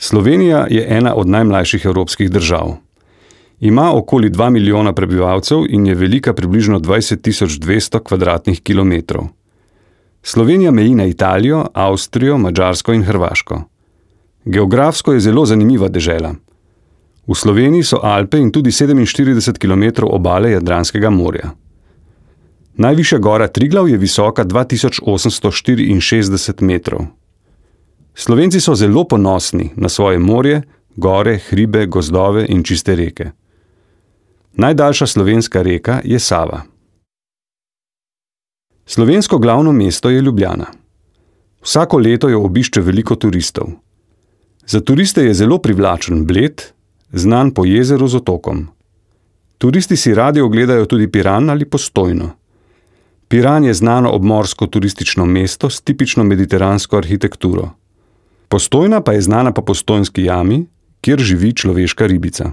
Slovenija je ena od najmlajših evropskih držav. Ima okoli 2 milijona prebivalcev in je velika približno 20.200 kvadratnih kilometrov. Slovenija meji na Italijo, Avstrijo, Madžarsko in Hrvaško. Geografsko je zelo zanimiva dežela. V Sloveniji so Alpe in tudi 47 kilometrov obale Jadranskega morja. Najvišja gora Triglav je visoka 2864 metrov. Slovenci so zelo ponosni na svoje morje, gore, hribe, gozdove in čiste reke. Najdaljša slovenska reka je Sava. Slovensko glavno mesto je Ljubljana. Vsako leto jo obišče veliko turistov. Za turiste je zelo privlačen Bled, znan po jezeru z otokom. Turisti si radi ogledajo tudi Piran ali Postojno. Piran je znano obmorsko turistično mesto s tipično mediteransko arhitekturo. Postojna pa je znana po Postojnski jami, kjer živi človeška ribica.